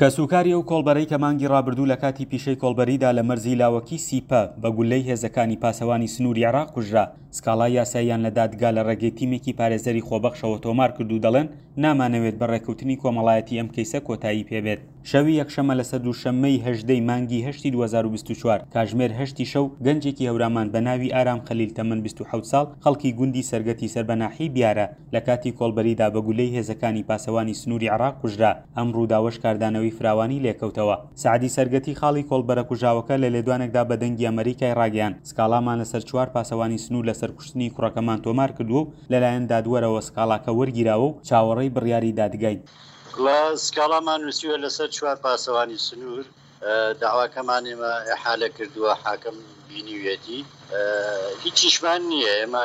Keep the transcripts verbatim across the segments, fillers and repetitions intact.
کەسوکاری ئەو کۆڵبەرەی کە مانگی ڕابردوو لە کاتی پیشەی کۆڵبەریدا لە مەرزی لاوەکی سیپە بە گولەی هێزەکانی پاسەوانی سنووری عێراق کوژرا، سکاڵای یاساییان لە دادگا لە ڕێگەی تیمێکی پارێزەری خۆبەخشەوە تۆمار کرد و دەڵێن نامانەوێت بە ڕێککەوتنی کۆمەڵایەتی ئەم کەیسە کۆتایی پێبێت. شەوی یەکشەممە لەسەر دووشەممەی هەژدە ی مانگی هەشتی دوو هەزار و بیست و چوار کاژمێر هەشتی شەو گەنجێکی هەورامان بە ناوی ئارام خەلیل تەمەن بیست و حەوت ساڵ خەڵکی گوندی سەرگەتی سەر بە ناحیەی بیارە لە کاتی کۆڵبەریدا بە گولەی هێزەکانی پاسەوانی سنووری عێراق کوژرا، ئەم ڕووداوەش کاردانەوەی فراوانی لێکەوتەوە. سەعدی سەرگەتی خاڵی کۆڵبەرە کوژراوەکە لە لێدوانێکدا بە دەنگی ئەمەریکای ڕاگەیاند سکاڵامان لەسەر چوار پاسەوانی سنوور لەسەر کوشتنی کوڕەکەمان تۆمار کردووە و لەلایەن دادوەرەوە سکاڵاکە وەرگیراوە و چاوەڕێی بڕیاری دادگاین. وە سکاڵامان نووسیوە لەسەر چوار پاسەوانی سنوور، دەعواکەمان ئێمە ئیحالە کردووە، حاکم بینیویەتی، هیچیشمان نییە، ئێمە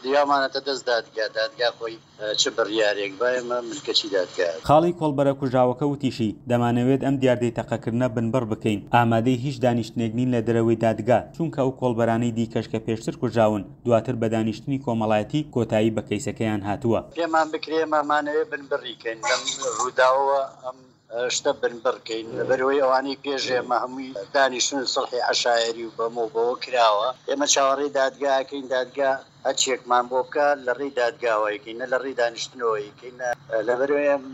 دریاومانەتە دەست دادگا، دادگا خۆی چ بڕیارێک با ئێمە ملکەچی دادگا. خاڵی کۆڵبەرە کوژراوەکە وتیشی، دەمانەوێت ئەم دیاردەی تەقەکردنە بنبڕ بکەین، ئامادەی هیچ دانیشتنێک نین لە دەرەوەی دادگا، چونکە ئەو کۆڵبەرانەی دیکەش کە پێشتر کوژراون، دواتر بە دانیشتنی کۆمەڵایەتی کۆتایی بە کەیسەکەیان هاتووە. پێمان بکرێ ئێمە ئەمانەوێت بنبڕی کەین لەم ڕووداوەوە، ئەم شتە بنبڕ کەین، لەبەرئەوەی ئەوانەی پێش ئێمە هەمووی دانیشتن و سوڵحی عەشایەری و بەمە و بەوە کراوە، ئێمە چاوەڕێی دادگا ئەکەین، دادگا هەرچیەکمان بۆ بکا لە ڕێی دادگاوە ئەیکەین، نە لە ڕێی دانیشتنەوە ئەیکەین، نە لەبەرئەوەی ئەم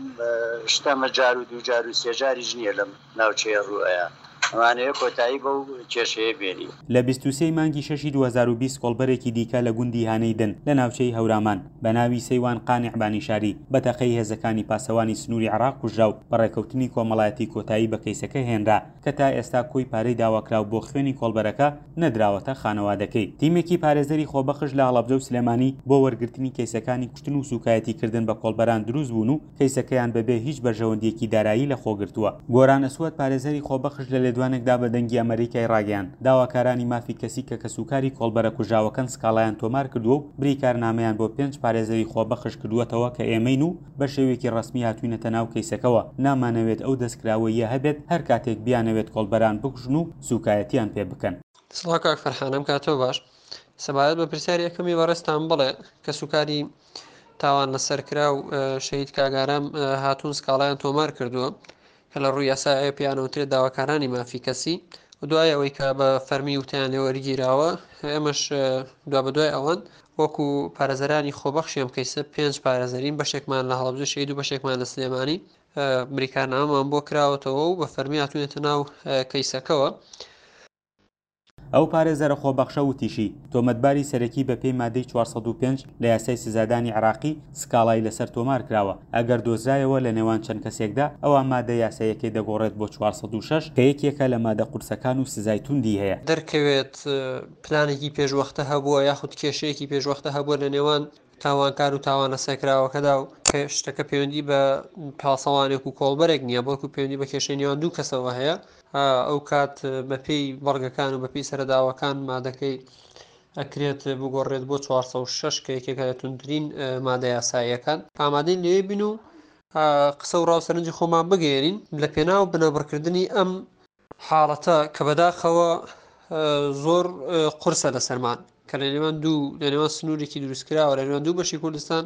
شتە ئەمە جار و دوو جار و سێ جاریش نییە لەم ناوچەیە ڕوو ئەیا، ئەمانەوێ کۆتایی بەو کێشەیە بێنین. لە بیست و سێ ی مانگی شەشی دوو هەزار و بیست کۆڵبەرێکی دیکە لە گوندی هانەی دن لە ناوچەی هەورامان بە ناوی سەیوان قانع بانیشاری بە تەقەی هێزەکانی پاسەوانی سنووری عێراق کوژرا و بە ڕێکەوتنی کۆمەڵایەتی کۆتایی بە کەیسەکە هێنرا کە تا ئێستا کۆی پارەی داواکراو بۆ خوێنی کۆڵبەرەکە نەدراوەتە خانەوادەکەی. تیمێکی پارێزەری خۆبەخش لە هەڵەبجە و سلێمانی بۆ وەرگرتنی کەیسەکانی کوشتن و سوکایەتیکردن بە کۆڵبەران دروست بوون و کەیسەکەیان بەبێ هیچ بەرژەوەندییەکی دارایی لەخۆگرتووە. گۆران ئەسوەد پارێزەری خۆبەخش لە لێدوانێکدا بە دەنگی ئەمەریکای ڕاگەیاند، داواکارانی مافی کەسی کە کەسوکاری کۆڵبەرە کوژراوەکەن سکاڵایان تۆمار کردووە و بریکارنامەیان بۆ پێنج پارێزەری خۆبەخش کردووەتەوە کە ئێمەین و بە شێوەیەکی ڕەسمی هاتووینەتە ناو کەیسەکەوە، نامانەوێت ئەو دەستکراوەییە هەبێت هەر کاتێک بیانەوێت کۆڵبەران بکوژن و سوکایەتیان پێ بکەن. سڵاو کاک فەرحان، ئەم کاتەو باش. سەبارەت بە پرسیاری یەکەمی بەڕێزتان بڵێ کەسوکاری تاوان لەسەر کراو شەهید کاک ئارام هاتوون سکاڵایان تۆمار کردووە کە لە ڕووی یاسایە پێیان وترێت داواکارانی مافی کەسی و دوای ئەوەی کە بە فەرمی وتیان لێوەرگیراوە ئێمەش دوا بەدوای ئەوان وەکو پارێزەرانی خۆبەخشی ئەم کەیسە پێنج پارێزەرین، بەشێکمان لە هەڵەبجە شەهید و بەشێکمان لە سلێمانی، بریکارنامەمان بۆ کراوەتەوە و بە فەرمی هاتوونێتە ناو کەیسەکەوە. ئەو پارێزەرە خۆبەخشە وتیشی، تۆمەتباری سەرەکی بەپێی مادەی چوار سەد و پێنج لە یاسای سزادانی عێراقی سکاڵای لەسەر تۆمار کراوە، ئەگەر دۆزرایەوە لە نێوان چەند کەسێکدا ئەوا مادە یاساییەکەی دەگۆڕێت بۆ چوار سەد و شەش کە یەکێکە لە مادە قورسەکان و سزای توندی هەیە. دەرکەوێت پلانێکی پێشوەختە هەبووە یاخود کێشەیەکی پێشوەختە هەبووە لە نێوان تاوانکار و تاوان لەسەرکراوەکەدا و کە شتەکە پەیوەندی بە پاسەوانێک و کۆڵبەرێک نییە، بەڵکو پەیوەندی بە کێشەی نێوان دوو کەسەوە هەیە، ئەو کات بەپێی بەڵگەکان و بەپێی سەرەداوەکان مادەکەی ئەکرێت بگۆڕێت بۆ چوار سەد و شەش کە یەکێکە لە توندترین مادە یاساییەکان. ئامادەین لەوێ بین و قسە و ڕاو سەرنجی خۆمان بگەیەنین لە پێناو بنەبڕکردنی ئەم حاڵەتە کە بەداخەوە زۆر قورسە لەسەرمان کە لە نێوان دوو لە نێوان سنوورێکی دروستکراوە لە نێوان دوو بەشی کوردستان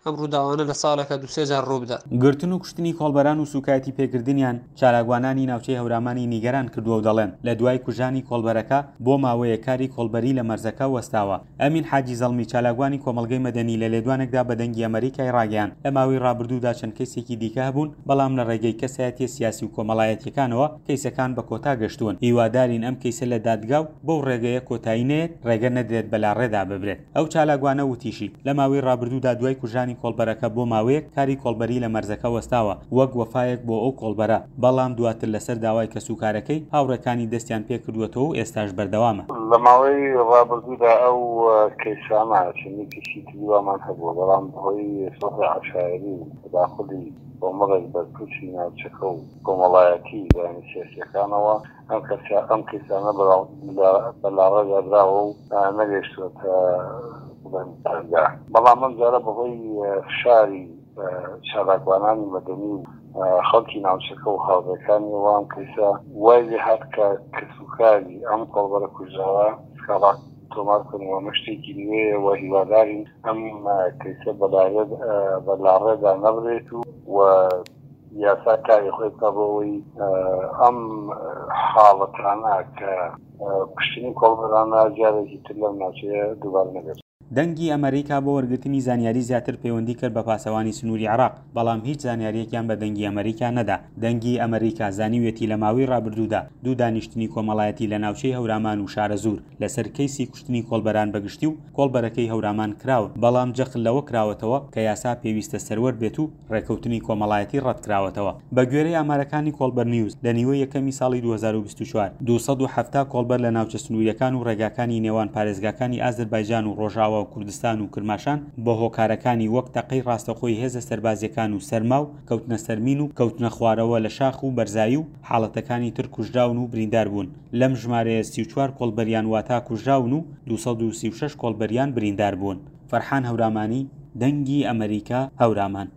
ئەم ڕووداوانە لە ساڵێکا دوو سێ جار ڕوو بدات. گرتن و کوشتنی کۆڵبەران و سووکایەتی پێکردنیان چالاکوانانی ناوچەی هەورامانی نیگەران کردووە و دەڵێن، لە دوای کوژرانی کۆڵبەرەکە بۆ ماوەیەک کاری کۆڵبەری لە مەرزەکە وەستاوە. ئەمین حاجی زەڵمی چالاکوانی کۆمەڵگەی مەدەنی لە لێدوانێکدا بە دەنگی ئەمەریکای ڕاگەیاند، لە ماوەی ڕابردوودا چەند کەیسێکی دیکە هەبوون، بەڵام لە ڕێگەی کەسایەتیە سیاسی و کۆمەڵایەتیەکانەوە کەیسەکان بە کۆتا گەشتوون، هیوادارین ئەم کەیسە لە دادگا و بەو ڕێگەیە کۆتایی نەیەت، ڕێگە نەدرێت بە لاڕێدا ببرێت. ئەو چالاکوانە وتیشی، لە ماوەی ڕابردوودا دوای کوژرانی کۆڵبەرەکە بۆ ماوەیەک کاری کۆڵبەری لە مەرزەکە وەستاوە وەک وەفایەک بۆ ئەو کۆڵبەرە، بەڵام دواتر لەسەر داوای کەسوکارەکەی هاوڕێکانی دەستیان پێکردووەتەوە و ئێستاش بەردەوامە. لە ماوەی ڕابردوودا ئەو کەیسانە چەندین کەیسی تری وامان هەبووە، بەڵام بەهۆی سوڵحی عەشایەری و تەداخولی کۆمەڵێک بەرپرسی ناوچەکە و کۆمەڵایەتی لایەنە سیاسییەکانەوە ئەم کەسە ئەم کەیسانە بە لاڕێدا براوە و نەگەیشتوونەتە بڵێن دادگا، بەڵام ئەم جارە بەهۆی فشاری چالاکوانانی مەدەنی و خەڵکی ناوچەکە و هاوڕێکانیەوە ئەم کەیسە وای لێهات کە کەسوکاری ئەم کۆڵبەرە کوژراوە سکاڵا تۆمار بکەن و ئەمە شتێکی نوێیە و هیوادارین ئەم کەیسە بە لاڕێدا نەبرێت و یاسا کاری خۆی بکا بۆ ئەوەی ئەم حاڵەتانە کە کوشتنی کۆڵبەرانە جارێکی تر لەم ناوچەیە دووبارە نەبێت. دەنگی ئەمەریکا بۆ وەرگرتنی زانیاری زیاتر پەیوەندی کرد بە پاسەوانی سنووری عێراق، بەڵام هیچ زانیارییەکیان بە دەنگی ئەمەریکا نەدا. دەنگی ئەمەریکا زانیویەتی لە ماوەی ڕابردوودا دوو دانیشتنی کۆمەڵایەتی لە ناوچەی هەورامان و شارەزوور لەسەر کەیسی کوشتنی کۆڵبەران بە گشتی و کۆڵبەرەکەی هەورامان کراون، بەڵام جەخت لەوە کراوەتەوە کە یاسا پێویستە سەروەر بێت و ڕێکەوتنی کۆمەڵایەتی ڕەتکراوەتەوە. بەگوێرەی ئامارەکانی کۆڵبەر نیوز، لە نیوەی یەکەمی ساڵی دوو هەزار و بیست و چوار، دوو سەد و حەفتا کۆڵبەر لە ناوچە سنوورییەکان و ڕێگاکانی نێوان پارێزگاکانی ئازەربایجان و ڕۆژئاوا و کوردستان و کرماشان بە هۆکارەکانی وەک تەقەی ڕاستەوخۆی هێزە سەربازییەکان و سەرما و کەوتنە سەر مین و کەوتنەخوارەوە لە شاخ و بەرزایی و حاڵەتەکانی تر کوژراون و بریندار بوون. لەم ژمارەیە سی و چوار کۆڵبەریان واتا کوژراون و دوو سەد و سی و شەش کۆڵبەریان بریندار بوون. فەرحان هەورامانی، دەنگی ئەمەریکا، هەورامان.